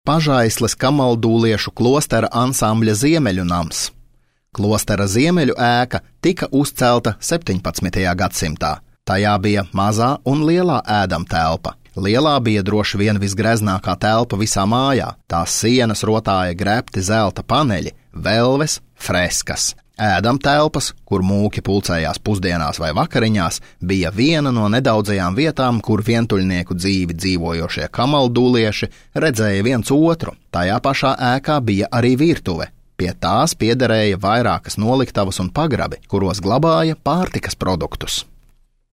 Pažaisles kamaldūliešu klostera ansambļa Ziemeļu nams. Klostera Ziemeļu ēka tika uzcelta 17. gadsimtā. Tajā bija mazā un lielā ēdamtelpa. Lielā bija droši vien visgreznākā telpa visā mājā. Tās sienas rotāja grebti zelta paneļi, velves, freskas. Ēdamtelpas, kur mūki pulcējās pusdienās vai vakariņās, bija viena no nedaudzajām vietām, kur vientuļnieku dzīvi dzīvojošie kamaldūlieši redzēja viens otru. Tajā pašā ēkā bija arī virtuve. Pie tās piederēja vairākas noliktavas un pagrabi, kuros glabāja pārtikas produktus.